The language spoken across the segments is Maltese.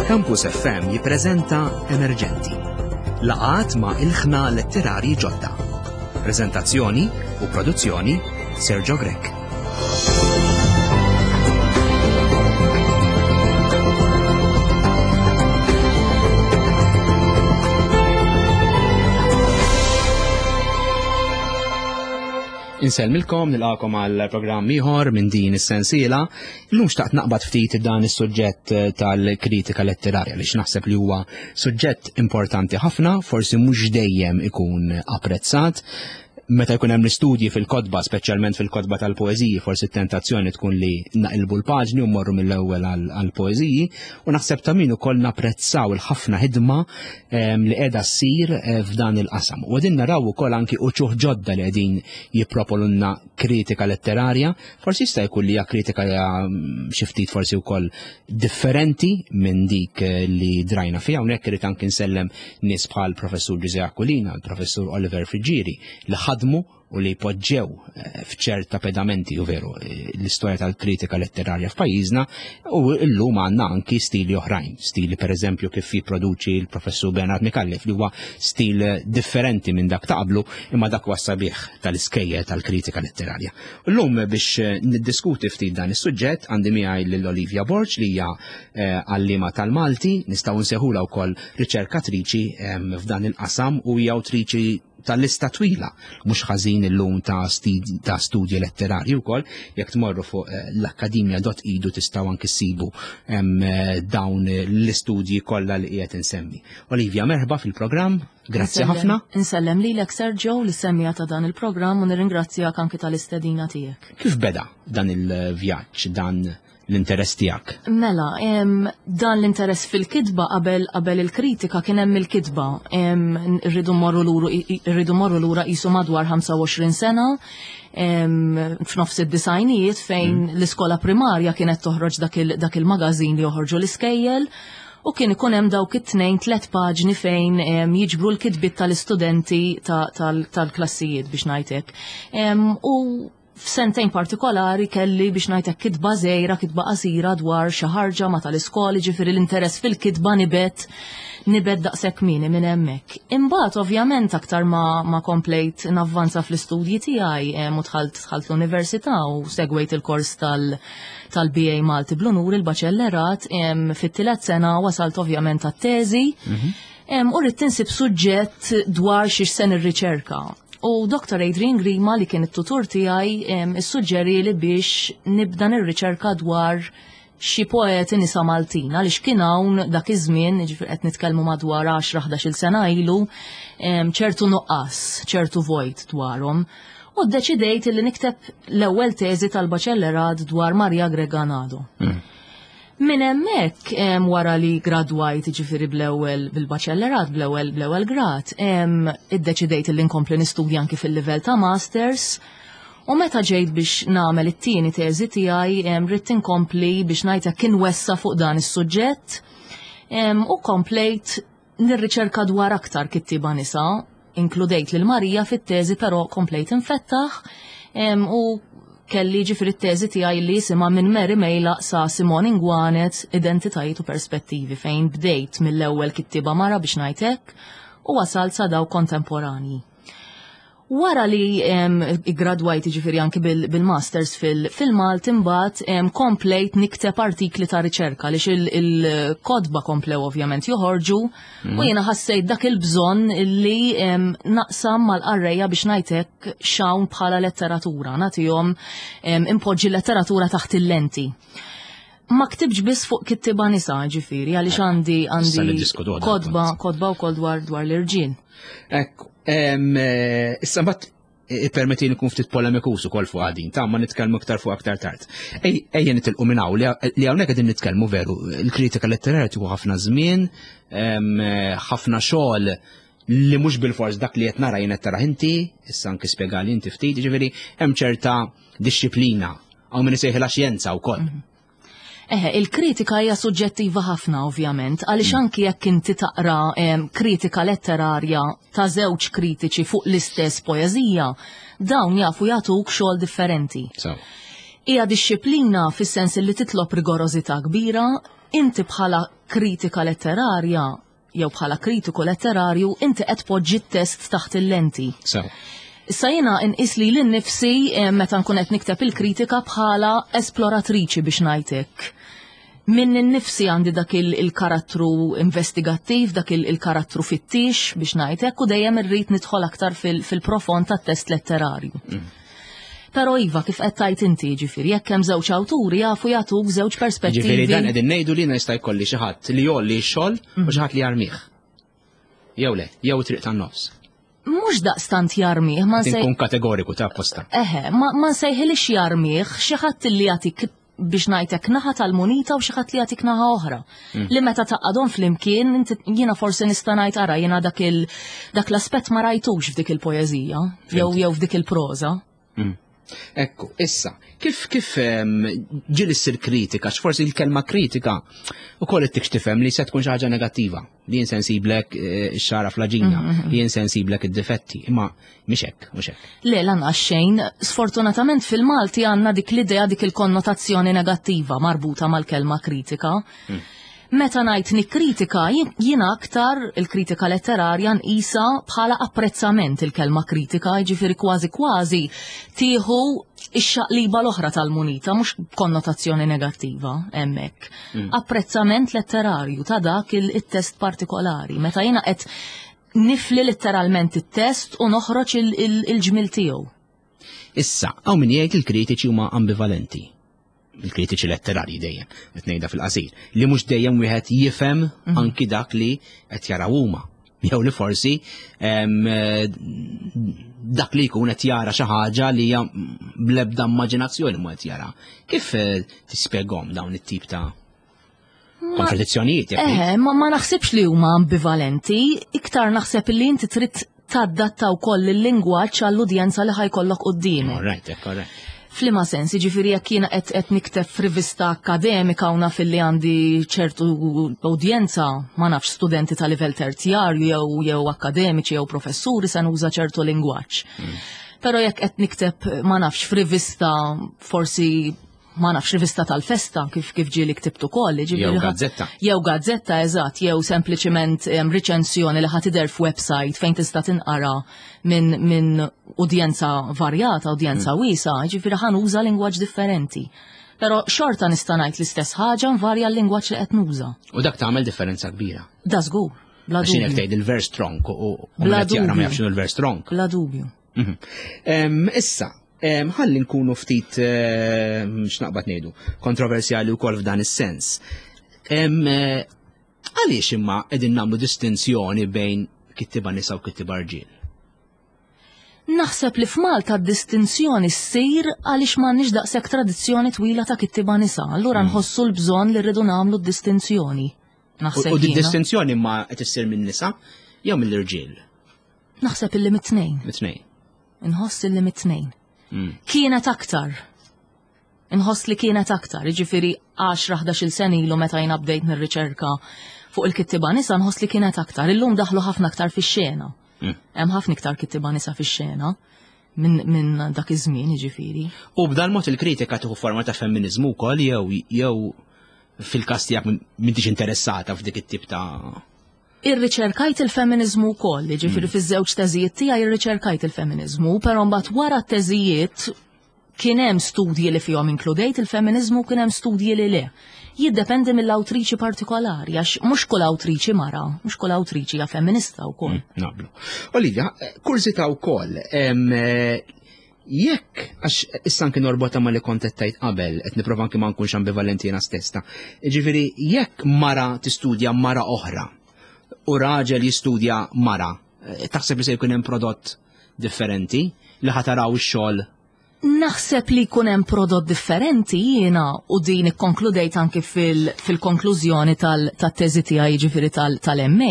Campus FM jippreżenta Emerġenti. Laqat ma' ilħna letterari ġodda. Preżentazzjoni u produzzjoni Sergio Grech. Insellmilkom nilqakom għal programm ieħor minn din is-sensiela. Illum xtaqt naqbad ftit dan is-suġġett eh, tal-kritika letterarja li naħseb li huwa suġġett importanti ħafna, forsi mhux dejjem ikun apprezzat. Meta jkun hemm l-istudji fil-kotba, speċjalment fil-kotba tal-poeżiji, forsi t-tentazzjoni tkun li naqilbu l-paġni u mmorru mill-ewwel għall-poeżiji, u naħseb ta' min ukoll napprezzaw il-ħafna ħidma li qiegħda ssir eh, f'dan il-qasam. U qegħdin naraw ukoll anki uċuħ ġodda li qegħdin jippropolunna kritika letterarja, forsi jista' jkun li hija kritika mm, xi ftit forsi wkoll differenti minn dik eh, li drajna fiha hawnhekk irid anki nsellem nies bħal professur Ġuże Aquilina, l-professur Oliver Friġġieri li ħadmu u li poġġew eh, f'ċerta pedamenti u veru eh, l-istorja tal-kritika letterarja f'pajjiżna u llum għandna anki stili oħrajn, stili per eżempju kif jipproduċi l-professur Bernard Mikallef li huwa stil differenti minn dak ta' qablu imma dak huwa sabiħ tal-iskejjel tal-kritika letterarja. Llum biex eh, niddiskuti ftit dan is-suġġett għandi miegħi lil Olivia Borg li hija għallima tal-Malti, nistgħu nsejħulha wkoll riċerkatriċi f'dan il-qasam u hija awtriċi ta' lista twila, mhux ħażin illum ta' ta' studji letterarji wkoll, jekk tmorru fuq eh, l-akkademja.edu tistgħu anki ssibu eh, dawn l-istudji kollha li qiegħed insemmi. Olivia, merħba fil-programm, grazzi ħafna. Insellem lilek Sergio li semmija ta' dan il-programm u nirringrazzjak anki tal-istedina tiegħek. Kif beda dan il-vjaġġ, dan l-interess tiegħek? Mela, dan l-interess fil-kitba qabel qabel il-kritika kien hemm il-kitba. Rridu mmorru lura qisu madwar 25 sena f'nofs id-disajnijiet fejn mm. l-iskola primarja kienet toħroġ dak il-magazin li joħorġu l-iskejjel u kien ikun hemm dawk it-tnejn tliet paġni fejn jiġbru l-kitbiet tal-istudenti tal-klassijiet biex ngħidlek. U F'sentejn partikolari kelli biex ngħid hekk kitba żgħira, kitba qasira dwar xi ħarġa ma' tal-iskola, jiġifieri l-interess fil-kitba nibet nibet daqshekk kmieni minn hemmhekk. Imbagħad ovvjament aktar ma, ma komplejt navvanza fl-istudji tiegħi u dħalt dħalt l-università u segwejt il-kors tal tal-BA Malti bl-unur il-baċellerat fit-tielet sena wasalt ovvjament għat-teżi. Mhm. U rrid tinsib suġġett dwar xiex se nirriċerka. U Dr. Adrian Grima li kien it-tutur tiegħi issuġġerieli biex nibda nirriċerka dwar xi poeti nisa Maltin għaliex kien hawn dak iż-żmien, jiġifieri qed nitkellmu madwar 10-11-il sena ilu, ċertu nuqqas, ċertu vojt dwarhom. U ddeċidejt li nikteb l-ewwel teżi tal-baċellerat dwar Maria Greganado. Mm. Minn hemmhekk wara li gradwajt jiġifieri bl-ewwel bil-baċellerat bl-ewwel bl-ewwel grad, iddeċidejt li nkompli nistudja anki fil-livell ta' masters. U meta ġejt biex nagħmel it-tieni teżi tiegħi ridt inkompli biex ngħid hekk inwessa' fuq dan is-suġġett. U komplejt nirriċerka dwar aktar kittieba nisa, inkludejt lil Marija fit-teżi però komplejt infettaħ u kelli ġifri t-teżi tiegħi li jisimha minn Mary Mejlaq sa Simone Inguanez Identitajiet u Perspettivi fejn bdejt mill-ewwel kittieba mara biex ngħid hekk u wasalt sa dawk kontemporanji. Wara li iggradwajt jiġifieri anki bil-masters fil-Malti imbagħad komplejt nikteb artikli ta' riċerka għaliex il-kotba komplew ovvjament joħorġu u mm. jiena ħassejt dak il-bżonn li naqsam mal-qarrejja biex ngħid hekk x'hawn bħala letteratura, nagħtihom impoġġi letteratura taħt il-lenti. Ma ktibx biss fuq kittiba nisa, ġifiri, għaliex għandi għandi kodba, kodba wkoll dwar dwar l-irġiel. Ekku, eh, issa mbagħad ippermetti nkun ftit polemikus ukoll fuq għadin, ta' ma nitkellmu aktar fuq aktar tard. Ejja nitilqu minn hawn li hawnhekk qegħdin nitkellmu veru, il-kritika letterarja tieħu ħafna żmien, ħafna xogħol li mhux bil-fors dak li qed nara jien qed tarah inti, issa anki spjegali inti ftit, jiġifieri hemm ċerta dixxiplina Hawn min isejħilha xjenza wkoll. Mhm. Eħe, il-kritika hija suġġettiva ħafna ovvjament, għaliex mm. anki jekk inti taqra kritika letterarja ta' żewġ kritiċi fuq l-istess poeżija, dawn jafu jagħtuk xogħol differenti. Hija dixxiplina fis-sens li titlob rigorożità kbira, inti bħala kritika letterarja jew bħala kritiku letterarju inti qed tpoġġi t-test taħt il-lenti. So. Issa jiena nqis li lil nifsi eh, meta nkun qed nikteb il-kritika bħala esploratriċi biex ngħidlek. Min nifsi għandi dak il-karattru investigattiv, dak il-karattru fittix biex ngħidlek u dejjem irrid nidħol aktar fil-profond tat-test letterarju. Però iva kif qed tgħid inti ġifieri jekk hemm żewġ awturi jafu jagħtuk żewġ perspettivi. Ġifieri dan qegħdin ngħidu li jista' jkolli xi ħadd li jolli x-xogħol u xi ħadd li jarmih. Jew le, jew triq tan-nofs. Mhux daqstant jarmih, ma nsej. Nkun kategoriku ta' apposta. Eħe, ma nsejħilix jarmih xi ħadd li jagħtik biex ngħidlek naħa tal-munita u xi ħadd li jagħtik naħa oħra. Li meta taqadhom flimkien jiena forsi nista' ngħid ara jiena dak il dak l-aspett ma rajtux f'dik il-poeżija jew jew f'dik il-proża. Ekku, issa, kif kif ġieli ssir kritika, x'forsi l-kelma kritika ukoll ittik tifhem li se tkun xi ħaġa negattiva, li jien sensiblek eh, x-xara fl-aġina, li jien sensiblek id-difetti, imma mhix hekk, mhux hekk. Le, lanqas xejn, sfortunatament fil-Malti għandna dik l-idea dik il-konnotazzjoni negattiva marbuta mal-kelma kritika. Meta ngħid nikkritika, jiena aktar il-kritika letterarja nqisha bħala apprezzament il-kelma kritika, jiġifieri kważi kważi tieħu ix-xaqliba l-oħra tal-munita, mhux konnotazzjoni negattiva hemmhekk. Apprezzament letterarju ta' dak il-test partikolari. Meta jiena qed nifli letteralment it-test u noħroġ il-ġmil tiegħu. Issa, hawn min jgħid il-kritiċi huma ambivalenti. Il-kritiċi letterarji dejjem, qed ngħidha fil-qasir, li mhux dejjem wieħed jifhem anki dak li qed jaraw huma. Jew li forsi dak li jkun qed jara xi ħaġa li hija bl-ebda immaġinazzjoni ma qed jara. Kif eh, tispjegahom dawn it-tip ta' kontradizzjonijiet? Jekk Eħe, ma naħsibx li huma ambivalenti, iktar naħseb li inti trid tadatta wkoll il-lingwaġġ għall-udjenza li ħa jkollok quddiemek. All right, all right. F'liema sens, jiġifieri jekk jiena qed qed nikteb f'rivista akademika u naf li għandi ċertu udjenza, ma nafx studenti ta' livell terzjarju jew jew akademiċi jew professuri se nuża ċertu lingwaġġ. Però jekk qed nikteb ma nafx f'rivista forsi ma nafx rivista tal-festa kif kif ġieli ktibt ukoll, jiġifieri Jew gazzetta. Jew gazzetta, eżatt, jew sempliċiment riċensjoni li ħa tidher f'website fejn tista' tinqara minn min udjenza varjata, udjenza wiesa, ġifieri ħa nuża lingwaġġ differenti. Però xorta nista' ngħid l-istess ħaġa nvarja l-lingwaġġ li qed nuża. U dak tagħmel differenza kbira. Da żgur, bla Għax jekk dubju. tgħid il-vers tronk u Bla qed jaqra ma dubju. jafx x'inhu l-vers tronk. Bla dubju. Issa, ħalli nkunu ftit x'naqbad ngħidu, kontroversjali wkoll f'dan is-sens. Għaliex imma qegħdin nagħmlu distinzjoni bejn kittiba nisa u kittiba rġiel? Naħseb li f'Malta d-distinzjoni ssir għaliex m'għandniex daqshekk tradizzjoni twila ta' kittiba nisa. Allura nħossu l-bżonn li rridu nagħmlu d-distinzjoni. Naħseb U di jiena. distinzjoni ma qed issir minn nisa jew mill-irġiel? Naħseb illi mit-tnejn. Mit-tnejn. Inħoss illi mit-tnejn. Kienet aktar. Inħoss li kienet aktar, jiġifieri 10-11 sena ilu meta jiena bdejt nirriċerka fuq il-kittiba nisa nħoss li kienet aktar. Illum daħlu ħafna aktar fix-xena. Hemm ħafna iktar kittiba nisa fix-xena minn min dak iż-żmien, jiġifieri. U b'dan mod il-kritika tieħu forma ta' femminizmu wkoll jew jew fil-każ tiegħek m'intix interessata f'dik it-tip ta' Irriċerkajt il-feminizmu wkoll, jiġifieri fiż-żewġ teżijiet tiegħi irriċerkajt il-feminizmu, però mbagħad wara t-teżijiet kien hemm studji li fihom inkludejt il-feminizmu, kien hemm studji li le. Jiddependi mill-awtriċi partikolari, għax mhux kull awtriċi mara, mhux kull awtriċi hija femminista wkoll. Naqblu. Olivia, kurżità wkoll, jekk, għax issa anki norbota ma li kont qed tgħid qabel, qed nipprova anki ma nkunx ambivalenti jiena stess ta' Ġifieri, jekk mara tistudja mara oħra u raġel jistudja mara, taħseb li se jkun hemm prodott differenti li ħa taraw ix-xogħol? Naħseb li jkun hemm prodott differenti jiena u din ikkonkludejt anki fil-konklużjoni tat-teżi tiegħi jiġifieri tal-MA.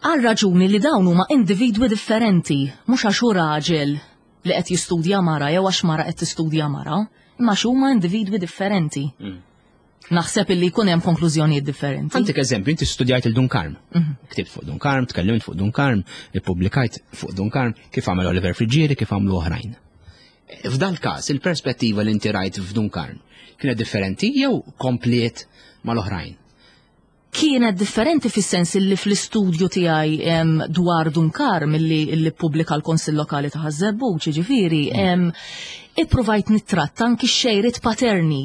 Għal raġuni li dawn huma individwi differenti, mhux għax hu raġel li qed jistudja mara jew għax mara qed tistudja mara, imma għax huma individwi differenti. Naħseb illi jkun hemm konklużjonijiet differenti. Għandek eżempju, inti studjajt il-Dun Karm. Ktibt fuq Dun Karm, tkellimt fuq Dun Karm, ippubblikajt fuq Dun Karm, kif għamel Oliver Friggieri, kif għamlu oħrajn. F'dal każ, il-perspettiva li inti rajt f'Dun Karm kienet differenti jew kompliet mal-oħrajn? Kienet differenti fis-sens li fl-istudju tiegħi dwar Dun Karm illi illi ppubblika l-Konsill Lokali ta' Ħaż-Żebbuġ, jiġifieri, mm. ippruvajt nittratta anki x-xejriet paterni.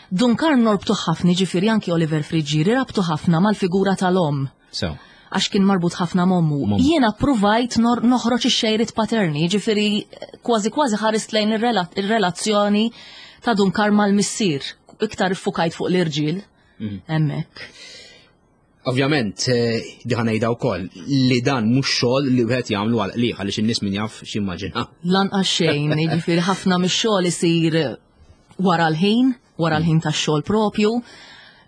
Dun Karm norbtu ħafna, jiġifieri anki Oliver Friggieri rabtu ħafna mal-figura tal-omm. So. Għax kien marbut ħafna m'ommu. Jiena ppruvajt noħroġ ix-xejriet paterni, jiġifieri kważi kważi ħarist lejn ir-relazzjoni ta' Dun Karm mal-missier, iktar iffukajt fuq l-irġiel. Mm. Hemmhekk. Ovvjament, eh, diħa ngħidha wkoll li dan mhux xogħol li wieħed jagħmlu għal qliħ għaliex in-nies min jaf x'immaġina. Lanqas xejn, jiġifieri ħafna mix-xogħol isir wara l-ħin, wara l-ħin tax-xogħol propju.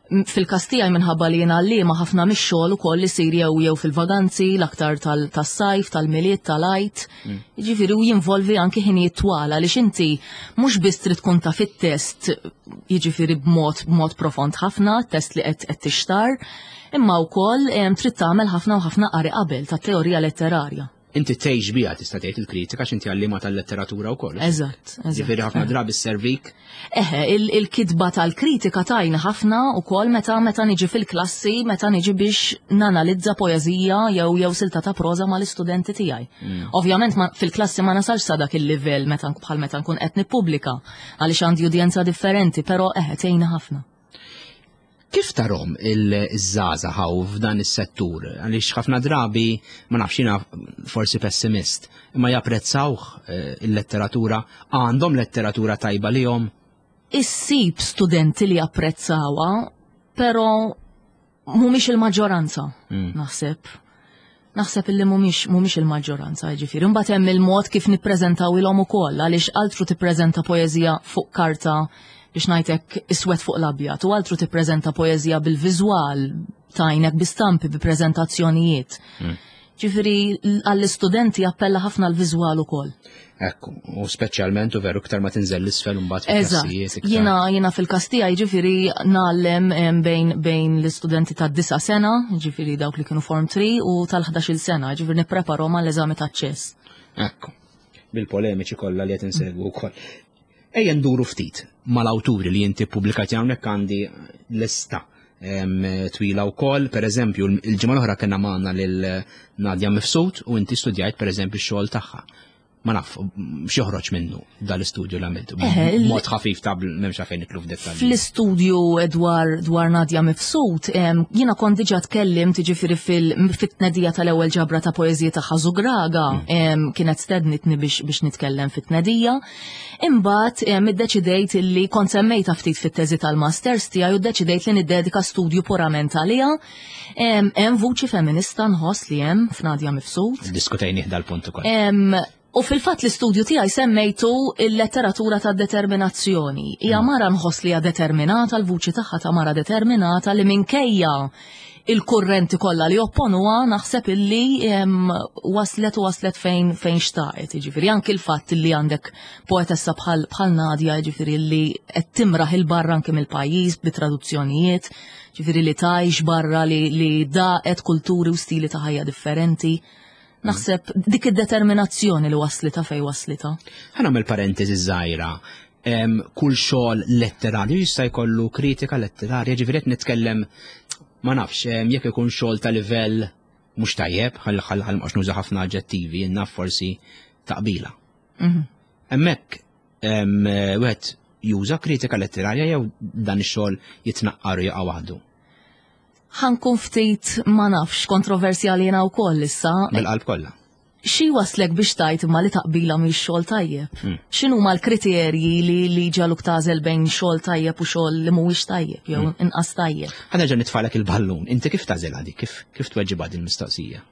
Fil-każ tiegħi minħabba li jiena għalliema ħafna mix-xogħol ukoll isir jew jew fil-vaganzi, l-aktar tas-sajf, tal-Milied, tal-Għid. Mm. Jiġifieri u jinvolvi anki ħinijiet twal għaliex inti mhux biss trid tkun taf it-test jiġifieri b'mod b'mod profond ħafna, test li qed qed tixtar, imma wkoll trid tagħmel ħafna u ħafna qari qabel ta' teorija letterarja. Inti tgħix biha tista' tgħid il-kritika għax inti għalliema tal-letteratura wkoll. Eżatt, eżatt. Ġifieri ħafna drabi sservik. Eħe, il-kitba tal-kritika tajna ħafna wkoll meta meta niġi fil-klassi, meta niġi biex nanalizza poeżija jew jew silta ta' proża mal-istudenti tiegħi. Mm. Ovvjament fil-klassi ma nasalx sa dak il-livell meta bħal meta nkun qed nippubblika għaliex għandi udjenza differenti, però eħe tgħinna ħafna. Kif tarhom il-żgħażagħ hawn f'dan is-settur? Għaliex ħafna drabi, ma nafx jiena forsi pessimist, imma japprezzawh eh, il-letteratura, għandhom letteratura tajba lihom? Issib studenti li japprezzawha, però mhumiex il-maġġoranza, mm. naħseb. Naħseb illi mhumiex mhumiex il-maġġoranza, jiġifieri. Imbagħad hemm il-mod kif nippreżentaw ilhom ukoll għaliex altru tippreżenta poeżija fuq karta biex ngħidlek iswed fuq l-abjad u altru tippreżenta poeżija bil-viżwal tajnek bi stampi bi preżentazzjonijiet. Mm. Ġifieri għall-istudenti appella ħafna l-viżwal ukoll. Ekku, u speċjalment u veru iktar ma tinżel l-isfel mbagħad fil-klassijiet. Jiena jiena fil-każ tiegħi ġifieri ngħallem bejn bejn l-istudenti ta' disa' sena, ġifieri dawk li kienu form 3 u tal-11-il sena, ġifieri nippreparhom għall-eżami taċ-ċess. Ekku, bil-polemiċi kollha li qed insegwu wkoll. Ejja nduru ftit mal-awturi li inti ppubblikajt hawnhekk għandi lista twila wkoll, per eżempju, il-ġimgħa l-oħra kellna magħna lil Nadja Mifsud u inti studjajt per eżempju x-xogħol tagħha. Ma naf, x'joħroġ minnu dal-istudju li għamiltu. Mod ħafif ta' m'hemmx għalfejn nitlu f'dettalji. Fl-istudju dwar dwar Nadja Mifsud, jiena kont diġà tkellimt jiġifieri fit-tnedija tal-ewwel ġabra ta' poeżiji tagħha Żugraga, mm. kienet stednitni biex nitkellem fit-tnedija. Imbagħad iddeċidejt illi kont semmejtha ftit fit-teżi tal-masters tiegħi u ddeċidejt li niddedika studju purament għaliha. Hemm vuċi feminista nħoss li hemm f'Nadja Mifsud. Diskutejnih dal-punt ukoll. U fil-fatt l-istudju tiegħi semmejtu il-letteratura ta' determinazzjoni. Hija mm. mara nħoss li hija determinata, l-vuċi tagħha ta' mara determinata li minkejja il-kurrenti kollha li opponuha naħseb illi waslet u waslet fejn fejn xtaqet. Jiġifieri anki l-fatt illi għandek poetessa bħal bħal Nadja, jiġifieri li qed timraħ il-barra anki mill-pajjiż bi traduzzjonijiet, jiġifieri li tgħix barra li, li daqet kulturi u stili ta' ħajja differenti. Naħseb dik id-determinazzjoni li waslita fej waslita. Ħa nagħmel parentesi żgħira kull xogħol letterarju jista' jkollu kritika letterarja, ġifieri qed nitkellem ma nafx jekk ikun xogħol ta' livell mhux tajjeb, ħalli ħalli ħalli mhux nuża ħafna aġġettivi, naf forsi taqbila. Mhm. Hemmhekk wieħed juża kritika letterarja jew dan ix-xogħol jitnaqqar u jaqa' waħdu. Ħankun ftit ma nafx kontroversjali jiena wkoll issa. Bil-qalb kollha. Xi waslek biex tgħid imma li taqbila mhix xogħol tajjeb? Hmm. X'inhuma l-kriterji li li ġaluk tagħżel bejn xogħol tajjeb u xogħol li mhuwiex tajjeb jew hmm. inqas tajjeb? Ħa nerġa' nitfalek il-ballun. Inti kif tagħżel għadi? Kif kif tweġibha din mistoqsija?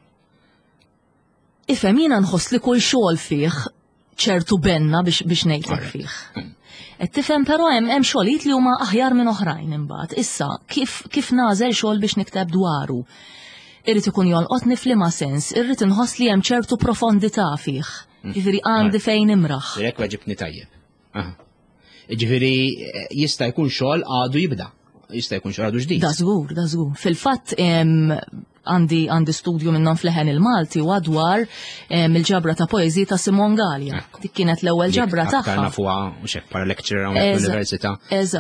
Ifhem jiena nħoss li kull xogħol fih ċertu benna biex biex ngħidlek fih. Qed tifhem però hemm hemm xogħlijiet li huma aħjar minn oħrajn imbagħad. Issa kif kif nagħżel xogħol biex nikteb dwaru? Irrid ikun jolqotni f'liema sens, irrid inħoss li hemm ċertu profondità fih. Mm. Ġifieri għandi fejn imraħ. Direk weġibni tajjeb. Ġifieri eh, jista' jkun xogħol għadu jibda. Jista' jkun xogħol għadu ġdid. Da żgur, da żgur. Fil-fatt Għandi għandi studju minnhom f'Leħen il-Malti u dwar il-ġabra ta' poeżiji ta' Simon Galea. Dik kienet l-ewwel ġabra tagħha. Nafuha u xek para lecturer hawnhekk fl-università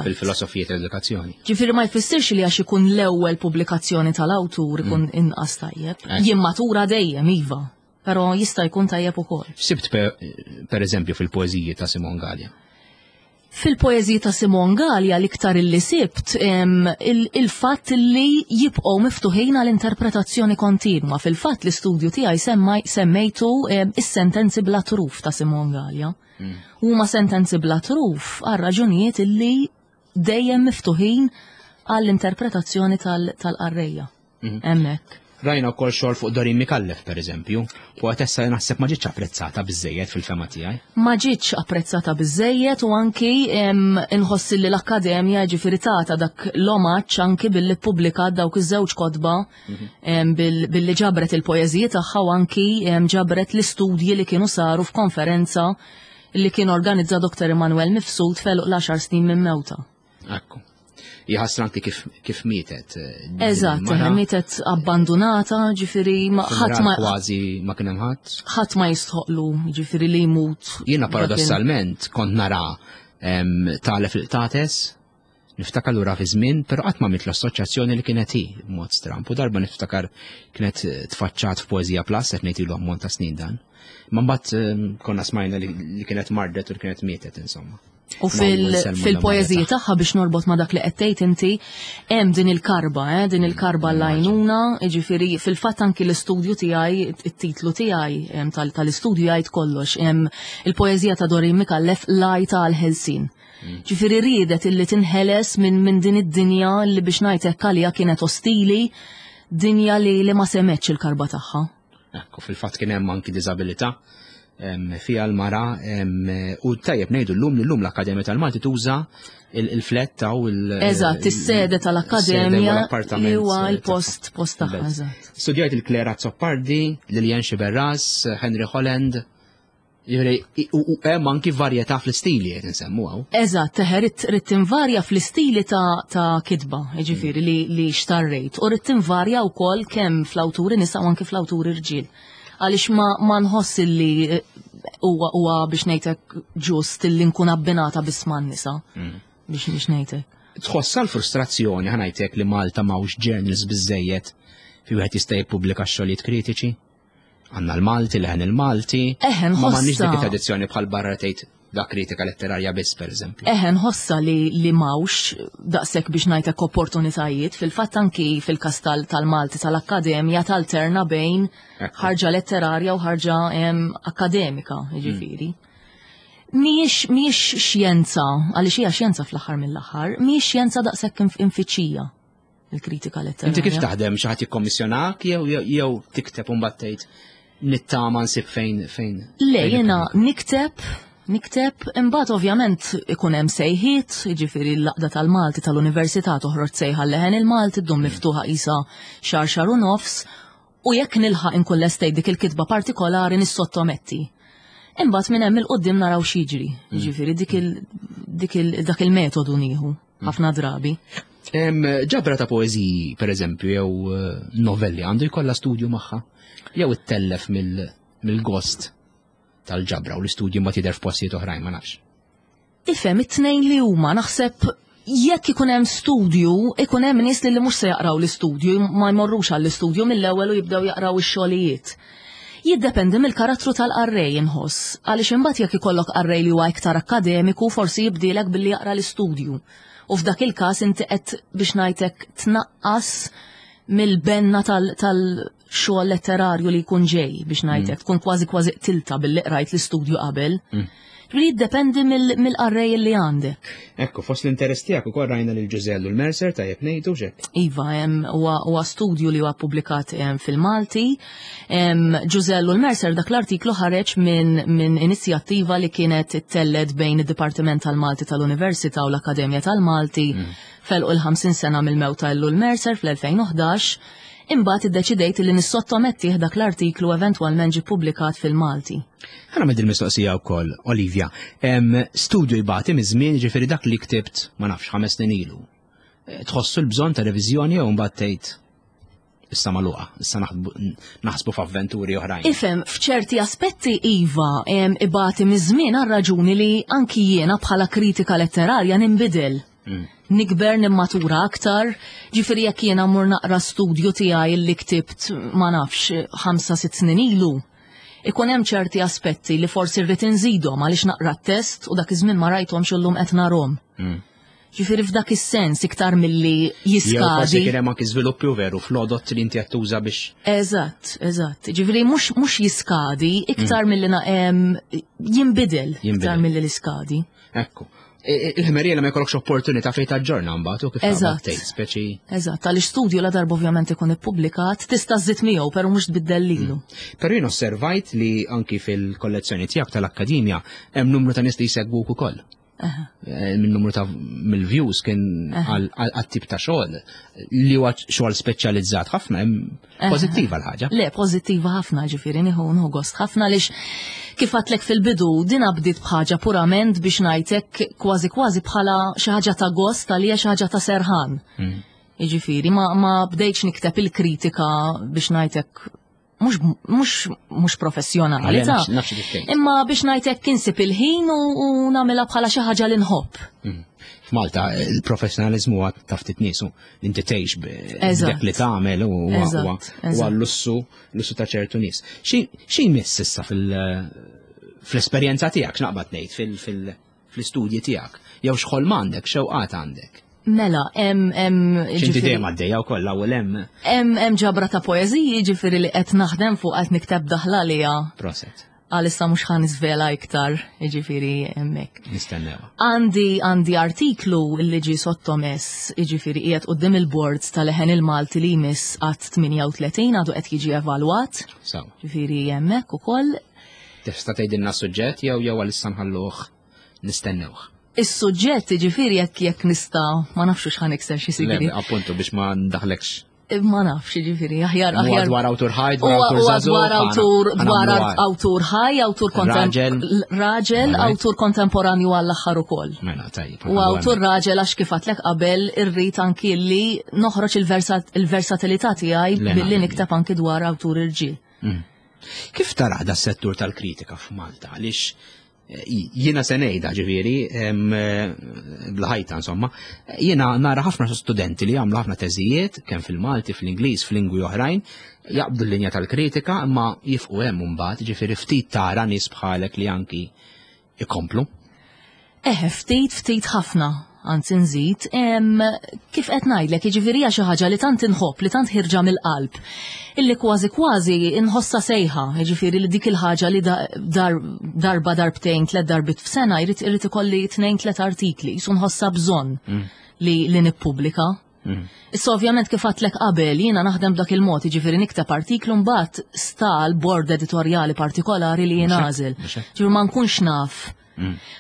fil-filosofija tal-edukazzjoni. Ġifieri ma jfissirx li għax ikun l-ewwel pubblikazzjoni tal-awtur ikun inqas tajjeb. Jimmatura dejjem iva, però jista' jkun tajjeb ukoll. Sibt per eżempju fil-poeżiji ta' Simon Galea. Fil-poeżiji ta' Simon Galea l-iktar illi sibt il-fatt li jibqgħu miftuħin għal interpretazzjoni kontinwa. Fil-fatt l-istudju tiegħi semmejtu is-sentenzi bla truf ta' Simon Galea. Huma sentenzi bla truf għal raġunijiet illi dejjem miftuħin għall-interpretazzjoni tal-qarrejja. Hemmhekk. Rajna wkoll xogħol fuq Doreen Micallef pereżempju, poetessa li naħseb ma ġietx apprezzata biżejjed fil-fema tiegħi. Ma ġietx apprezzata biżejjed u anki inħoss li l-Akkademja ġifieri tata dak l-omaġġ anki billi ppubblikat dawk iż-żewġ kotba billi ġabret il-poeżiji tagħha u anki ġabret l-istudji li kienu saru f'konferenza li kien organizza Dr. Emanuel Mifsud f'għeluq l-10 snin minn mewta. Ekku. Jħassra anki kif, kif mietet. Eh, Eżatt, eh, mietet abbandonata, ġifiri ma ħadd ma kważi ma kien hemm ħadd. Ħadd ma jistħoqlu, ġifiri li jmut. Jiena paradossalment kont nara talef il-qtates, niftakar lura fi żmien, però qatt ma mit l-assoċjazzjoni li kienet hi b'mod stramp. U darba niftakar kienet eh, tfaċċat f'Poeżija Plus qed ngħid ilu ammont ta' snin dan. Ma mbagħad konna smajna li kienet mardet u li kienet mietet insomma. U fil-poeżiji tagħha biex norbot ma' dak li qed tgħid inti, hemm din il-karba, eh, din il-karba l-għajnuna, jiġifieri fil-fatt anki l-istudju tiegħi, it-titlu tiegħi tal-istudju jgħid kollox, il-poeżija ta' Doreen Micallef l-għajta għall-ħelsien. Mm. Ġifieri riedet illi tinħeles minn min din id-dinja li biex ngħid hekk għaliha kienet ostili, dinja li li ma semetx il-karba tagħha. Ekku, fil-fatt kien hemm anki diżabilità fiha l-mara u tajjeb ngħidu llum li llum l-Akkademja tal-Malti tuża il-fletta u l- Eżatt, is-sede tal-Akkademja li huwa l-post post tagħha. Studjajt il-Claire Azzopardi, Lilian Sciberras, Henry Holland, Jiġifieri, u hemm anki varjetà fl-istili qed insemmu hawn. Eżatt, teħe ridt tinvarja fl-istili ta' kitba, jiġifieri li, li xtarrejt, u ridt tinvarja wkoll kemm fl-awturi nisa u anki fl-awturi rġiel. Għaliex ma, ma nħoss li eh, huwa huwa biex ngħidlek ġust li nkun abbinata biss man-nisa. Mm. Biex biex ngħidlek. Tħossa l-frustrazzjoni ħanajtek li Malta m'hawnx journals biżejjed fi wieħed jista' jippubblika xogħlijiet kritiċi? Għandna l-Malti, leħen il-Malti. Eħe, Ma m'għandniex dik it-tradizzjoni bħal barra tgħid da kritika letterarja biss, per eżempju. Eħe, nħossa li li mawx daqshekk biex ngħidlek opportunitajiet, fil-fatt anki fil-każ tal-Malti tal-Akkademja talterna bejn ħarġa letterarja u ħarġa akademika, jiġifieri. Mhijiex mhijiex xjenza, għaliex hija xjenza fl-aħħar mill-aħħar, mhijiex xjenza daqshekk infittxija. il-kritika letterarja. Inti kif taħdem xi ħadd jikkommissjonak jew jew tikteb u mbagħad tgħid nittama nsib fejn fejn. Le jiena nikteb nikteb imbagħad ovvjament ikun hemm sejħiet, jiġifieri l-laqda tal-Malti tal-Università toħroġ sejħa leħen il-Malti ddum miftuħa qisha xahar xahar u nofs u jekk nilħaq inkun lestejt dik il-kitba partikolari nissottometti. Imbagħad minn hemm il-qudiem naraw x'jiġri, mm. jiġifieri dik il dik il dak il-metodu nieħu. Ħafna drabi. Ġabra ta' poeżiji, per eżempju, jew eh, novelli għandu jkollha studju magħha, jew ittellef mill-gost tal-ġabra u l-istudju ma tidher f'postijiet oħrajn ma nafx. Ifhem it-tnejn li huma naħseb jekk ikun hemm studju, ikun hemm nies li mhux se jaqraw l-istudju, ma jmorrux għall-istudju mill-ewwel u jibdew jaqraw ix-xogħlijiet. Jiddependi mill-karattru tal-qarrej inħoss, għaliex imbagħad jekk ikollok qarrej li huwa iktar akkademiku forsi jibdielek billi jaqra l-istudju. U f'dak il-każ inti qed biex ngħidlek tnaqqas mill-benna tal-xogħol letterarju li jkun ġej biex ngħidlek, mm. tkun kważi kważi qtilta billi qrajt l-istudju qabel. Mm. Li jiddependi mill-qarrej li għandek. Ekku, fost l-interess tiegħek ukoll rajna lil Ġużellu l-Mercer tajjeb ngħidu xek. Iva, huwa studju li huwa ppubblikat fil-Malti. Ġużellu l-Mercer dak l-artiklu ħareġ minn min inizjattiva li kienet ittelled bejn id-Dipartiment tal-Malti tal-Università u l-Akkademja tal-Malti mm. felqu l-50 sena mill-mewt ta' Ellul Mercer fl-2011 imbagħad iddeċidejt li nissottomettih dak l-artiklu eventwalment ġie ppubblikat fil-Malti. Ħa nagħmel din mistoqsija wkoll, Olivia. Studju jbati miż-żmien, ġifieri dak li ktibt ma nafx ħames snin ilu. Eh, tħossu l-bżonn ta' reviżjoni jew mbagħad tgħid issa magħluqa, issa naħsbu f'avventuri oħrajn. Ifhem, f'ċerti aspetti iva ibati miż-żmien għal raġuni li anki jiena bħala kritika letterarja ninbidel. Nikber nimmatura aktar, ġifieri jekk jiena mmur naqra studju tiegħi li ktibt ma nafx 5-6 snin ilu, ikun hemm ċerti aspetti li forsi rrid inżidhom għaliex naqra t-test u dak iż-żmien ma rajthomx illum qed narhom. Ġifieri f'dak is-sens iktar milli jiskadi. Jew forsi kien hemm anki żviluppi u veru fl-għodot li inti qed tuża biex. Eżatt, eżatt. Ġifieri mhux jiskadi iktar milli jinbidel iktar milli l-iskadi. Ekku. Il-ħmerija li ma jkollokx opportunità fejn taġġorna mbagħad u kif Eżatt. tgħid speċi. Eżatt, għaliex studju la darba ovvjament ikun ippubblikat, tista' żżid miegħu però mhux tbiddel lilu. Però jien osservajt li anki fil-kollezzjoni tiegħek tal-Akkademja hemm numru ta' nies li jsegwuk ukoll. Minn numru ta' mill-views kien għal tip ta' xogħol li huwa xogħol speċjalizzat ħafna hemm pożittiva l-ħaġa. Le, pożittiva ħafna ġifieri nieħu nieħu gost ħafna għaliex kif għadtlek fil-bidu din bdiet bħaġa purament biex ngħidlek kważi kważi bħala xi ħaġa ta' gost għalija xi ħaġa ta' serħan. Jiġifieri ma bdejtx nikteb il-kritika biex ngħidlek mhux professjonali ta' Nafx kif tgħid. Imma biex ngħidlek insib il-ħin u nagħmilha bħala xi ħaġa li nħobb. F'Malta il-professjonalizmu huwa ta' ftit niesu li inti tgħix b'dak li tagħmel u huwa lussu ta' ċertu nies. Xi jmiss issa fl-esperjenza tiegħek, x'naqbad ngħid fl-istudji tiegħek, jew x'ħolm għandek, xewqat għandek? Mela, hemm hemm X'inti ġifieri dejjem għaddejja wkoll l-ewwel hemm. Hemm ġabra ta' poeżiji ġifieri li qed naħdem fuq qed nikteb daħla għaliha. Proset. Għalissa mhux ħa niżvela iktar, jiġifieri hemmhekk. Nistennew. Għandi artiklu li ġie sottomess, jiġifieri qiegħed quddiem il-board tal-Leħen il-Malti li jmiss għat 38 għadu qed jiġi evalwat. Sawa. Ġifieri hemmhekk ukoll. Tista' tgħidilna suġġett jew għalissa nħalluh nistennewh? Is-suġġett ġifieri jekk nista' ma nafx x'ħa nikser xi sigri. Le, appuntu biex ma ndaħlekx. Ma nafx, ġifieri, aħjar, Huwa aħjar. dwar awtur ħaj, dwar Huwa awtur huwa żagħżugħ, dwar awtur, dwar awtur ħaj, awtur Raġel. raġel, awtur kontemporanju għall-aħħar ukoll. Mela, tajjeb, U awtur raġel għax kif għadtlek qabel irrid anki li noħroġ il-versatilità tiegħi Le, billi naqbel. nikteb anki dwar awtur irġiel. Kif tara da settur tal-kritika f'Malta? Għaliex jiena se ngħidha ġifieri, bl-ħajta insomma, jiena nara ħafna studenti li jagħmlu ħafna teżijiet kemm fil-Malti, fl-Ingliż, f'lingwi oħrajn, jaqbdu l-linja tal-kritika imma jifqu hemm imbagħad, ġifieri ftit tara nies bħalek li anki ikomplu. Eħe, ftit, ftit ħafna, anzi nżid, kif qed ngħidlek, jiġifieri hija xi ħaġa li tant inħobb, li tant ħirġa mill-qalb, illi kważi kważi inħossha sejħa, jiġifieri li dik il-ħaġa li darba darbtejn, tliet darbit f'sena jrid ikolli tnejn tliet artikli, jisu nħossha bżonn li nippubblika. Issa ovvjament kif għadtlek qabel, jiena naħdem b'dak il-mod, jiġifieri nikteb artiklu mbagħad sta l-bord editorjali partikolari li jien għażel. Ġifieri ma nkunx naf.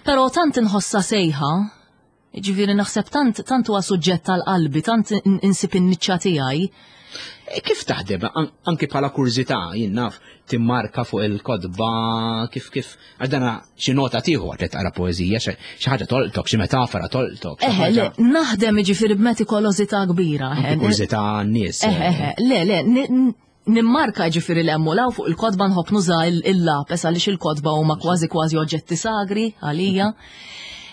Però tant inħossha sejħa, ġifieri naħseb tant huwa suġġett tal-qalbi, tant insib in-niċċa tiegħi. E kif taħdem? Anki bħala kurżità, jien naf, timmarka fuq il-kotba, kif, għax dana xi nota tieħu għad taqra poeżija, xi ħaġa tolqtok, xi metafora tolqtok, xi Eħe, le, ħaġa. naħdem ġifieri b'metikolożità kbira, Anki eħe. kurżità n-nies. Eħe, eħe, le, le, nimmarka ġifieri l-hemm u law fuq il-kotba nħobb nuża il-lapes għaliex il-kotba huma kważi kważi oġġetti sagri għalija.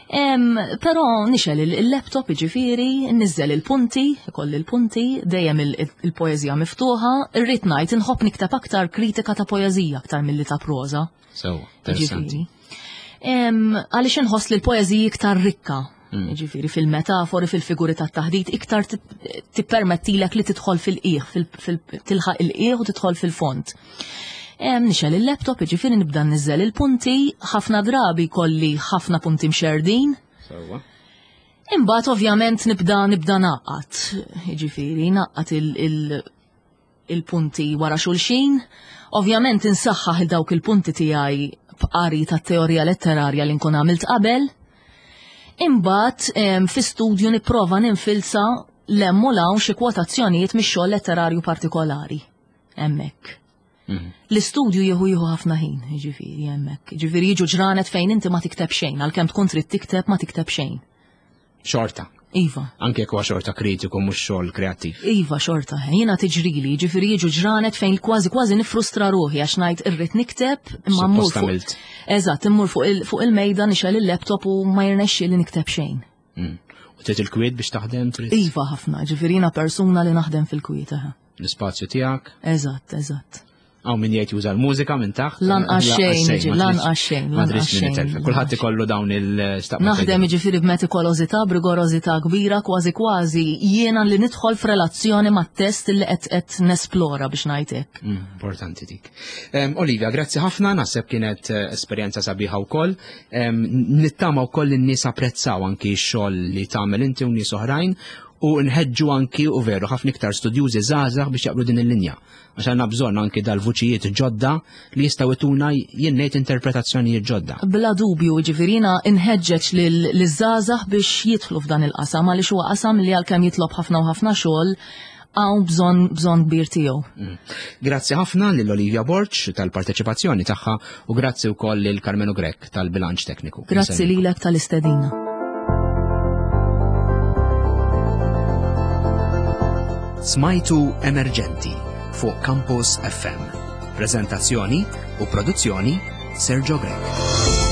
Però nixel il-laptop ġifieri, nniżżel il-punti, ikolli il-punti, dejjem il-poeżija miftuħa, irrid ngħid inħobb nikteb aktar kritika ta' poeżija aktar milli ta' proża. So, interessanti. Ġifieri. Għaliex inħoss li l-poeżija iktar rikka. Ġifieri fil-metafori, fil-figuri tat-taħdit, iktar tippermettilek li tidħol fil-qiegħ, tilħaq il-qiegħ u tidħol fil-fond. Nixel il-laptop, ġifieri nibda nniżżel il-punti, ħafna drabi kolli ħafna punti mxerdin. Sewwa. Imbagħad ovvjament nibda naqgħad, ġifieri naqgħad il-punti wara xulxin. Ovvjament insaħħaħ il dawk il-punti tiegħi b'qari tat-teorija letterarja li nkun għamilt qabel. Imbagħad fi studju nipprova ninfilza l-hemm u l-hawn xi kwotazzjonijiet mix-xogħol letterarju partikolari hemmhekk. L-istudju jieħu ħafna ħin, ġifieri hemmhekk. Ġifieri jiġu ġranet fejn inti ma tikteb xejn, għalkemm tkun trid tikteb ma tikteb xejn. Xorta. Iva. Anke jekk huwa xorta kritiku mhux xogħol kreattiv. Iva, xorta. Jiena tiġrili, ġifieri jiġu ġranet fejn kważi kważi nifrustra ruħi għax ngħid irrid nikteb imma mmur fuq. Eżatt, immur fuq il-mejda nixgħel il-laptop u ma jirnexxi li nikteb xejn. U trid il-kwiet biex taħdem trid? Iva ħafna, ġifieri jiena persuna li naħdem fil-kwiet. L-ispazju tiegħek? Eżatt, eżatt. Hawn min jgħid juża l-mużika minn taħt. Lanqas xejn, lanqas xejn. Ma tridx min itelfek. Kulħadd ikollu dawn il-staqma. Naħdem jiġifieri b'metikolożità, b'rigorożità kbira, kważi kważi jiena li nidħol f'relazzjoni mat-test li qed qed nesplora biex ngħid hekk. Importanti dik. Olivia, grazzi ħafna, naħseb kienet eh, esperjenza sabiħa wkoll. Nittama wkoll in-nies apprezzaw anki x-xogħol li tagħmel inti u nies oħrajn u nħeġġu anki u veru ħafna iktar studjużi żgħażagħ biex jaqblu din il-linja. Għax għandna bżonn anki dal-vuċijiet ġodda li jistgħu jtuna jien ngħid interpretazzjonijiet ġodda. Bla dubju, jiġifieri jiena nħeġġeġ liż-żgħażagħ biex jidħlu f'dan il-qasam għaliex huwa qasam li għalkemm jitlob ħafna u ħafna xogħol hawn bżonn bżonn kbir tiegħu. Grazzi ħafna lil Olivia Borg tal-parteċipazzjoni tagħha u grazzi wkoll lil Karmenu Grech tal-bilanċ tekniku. Grazzi lilek tal-istedina. Smajtu Emerġenti fuq Campus FM. Prezentazzjoni u produzzjoni Sergio Grech.